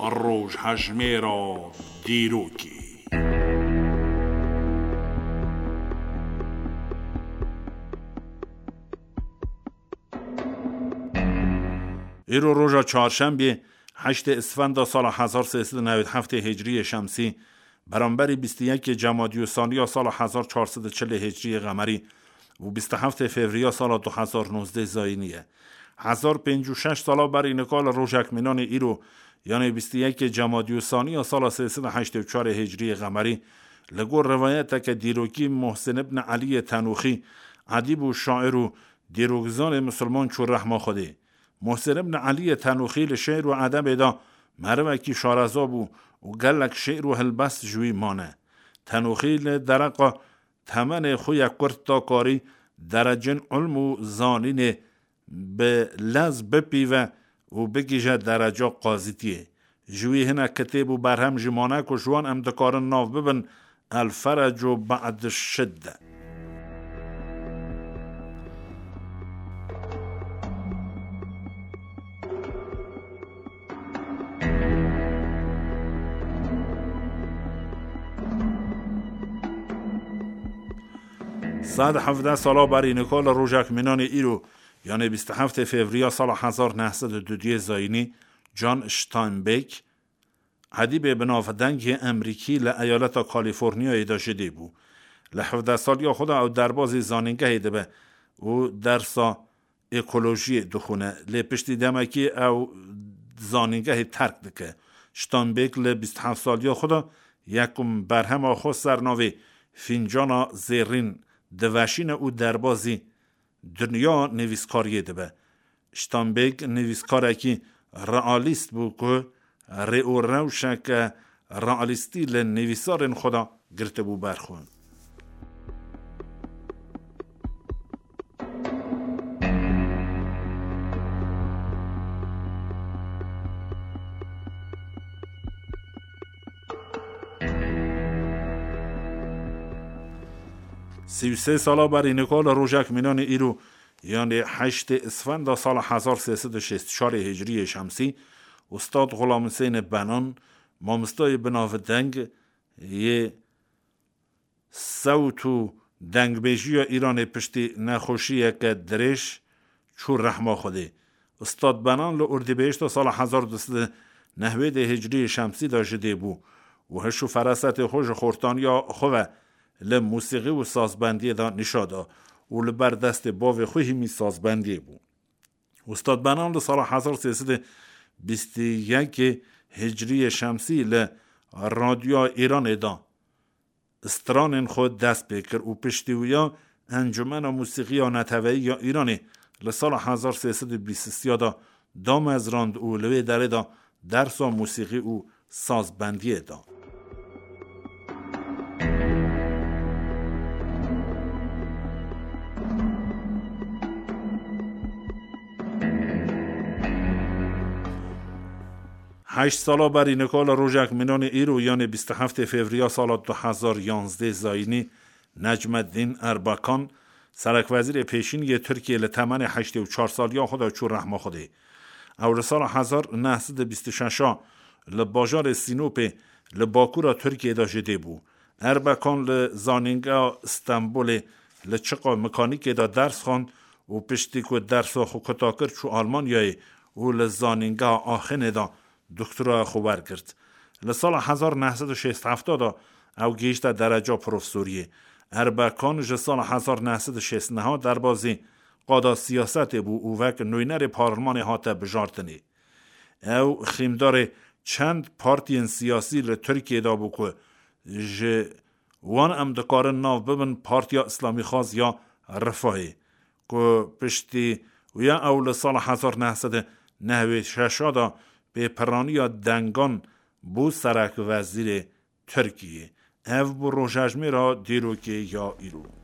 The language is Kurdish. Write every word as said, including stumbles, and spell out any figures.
Rojhejmêra dîrokê. Îro roja çarşembê, heştê Isfenda sala hezar sê sed û newî heftê Hicriyê Şemsî, beramberî bîst û yekê Cemadî Saniya sala hezar çar sed û çilê Hicriyê Qemerî û bîst û heftê Fevriya sala du hezar nozdeh Zayînî ye. Hezar pêncî û şeş sala berî nika li rojek mînanê îro, yanê bîst û yekê Cemadî Saniya sala sê sed û heştê û çarê Hicriyê Qemerî, li gor rivayeteke dîrokî Muhsin ibn Eliyê Tenûxî, edîb û şair û dîrokzanê misilman çû rehma Xwedê. Muhsin ibn Eliyê Tenûxî li şê'r û edebê de merivekî şareza bû û gelek şê'r û hilbest ji wî mane. Tenûxî li dereqa temenê xwe yê kurt de karî derecên ilm û zanînê bi lez bipîve û bigihîje dereca qazîtiyê. Ji wî hinek kitêb û berhem jî mane ku ji wan em dikarin nav bibin El Ferecu Ba'd Şidde. Sed hevdeh sala berî nika li rojek mînanê îro, yanê bîst û heftê Fevriya sala hezar neh sed û duduyê Zayînî, John Steinbeck, edîbê binavdeng yê Emerîkî li eyaleta Kalîforniyayê de ji dê bû. Li hevdeh saliya xwe de ew derbazî zanîngehê dibe û dersa ekolojiyê dixwine. Lê piştî demekî ew zanîngehê terk dike. Steinbeck li bîst û heft saliya xwe de yekum berhema xwe ser navê Fîncana Zêrîn diveşîne û derbazî dinya nivîskariyê dibe. Steinbeck nivîskarekî realîst bû ku rê û rewşeke realîstî li nivîsarên xwe de girtibû ber xwe. Sî û sê sala berî nika li rojek mînanê îro, yanê heştê Isfenda sala hezar sê sed û şêst û çarê Hicriyê Şemsî, Ustad Xulam Husênê Benan, mamostayê binavdeng yê sewt û dengbêjiya Îranê piştî nexweşiyeke dirêj çû rehma Xwedê. Ustad Benan li Urdîbêhişta sala hezar du sed û nehwêdê Hicriyê Şemsî de ji dê bû û hiş û ferasetê xwe ji xortaniya xwe ve li musîqî û sazbendiyê de nîşa da û li ber destê bavê xwe hîmî sazbendiyê bû. Ustad Benan li sala hezar sê sed û bîst û yekê Hicriyê Şemsî li Radyoya Îranê de stranên xwe dest pê kir û piştî wiya Encûmena Musîqiya Neteweyî ya Îranê li sala hezar sê sed û bîst û sê de damezrand û li wê derê de dersa musîqî û sazbendiyê da. Heşt sala berî nika li rojek mînanê îro, yanê bîst û heftê Fevriya sala du hezar yanzdeh Zayînî, Necmeddîn Erbakan, serekwezîrê pêşîn yê Tirkiyê, li temenê heştê û çar saliya xwe de çû rehma Xwedê. Ew li sala hezar neh sed û bîst û şeş a li bajarê Sînopê li bakûra Tirkiyê de ji dê bû. Erbakan li Zanîngeha Stenbolê li çiqa mekanîkê de ders xwend û piştî ku dersa xwe kuta kir, çû Almanyayê û li Zanîngeha Axenê de doktoraya xwe wergirt. Li sala hezar neh sed û şêst û heft de ew gihîşte dereca profesoriyê. Erbakan ji sala hezar neh sed û şêst û neh derbazî qada siyasetê bû û wek nûnerê parlemanê hate bijartinê. Ew xîmdarê çend partiyên siyasî li Tirkiyê de bû ku ji wan em dikarin nav bibin Partiya Îslamîxwaz ya Refahê, ku piştî wî ya ew li sala hezar neh sed û nehwêd û şeş de pêpiraniya dengan bû serekvezîrê Tirkiyê. Ev bû rojhejmêra dîrokê ya îro.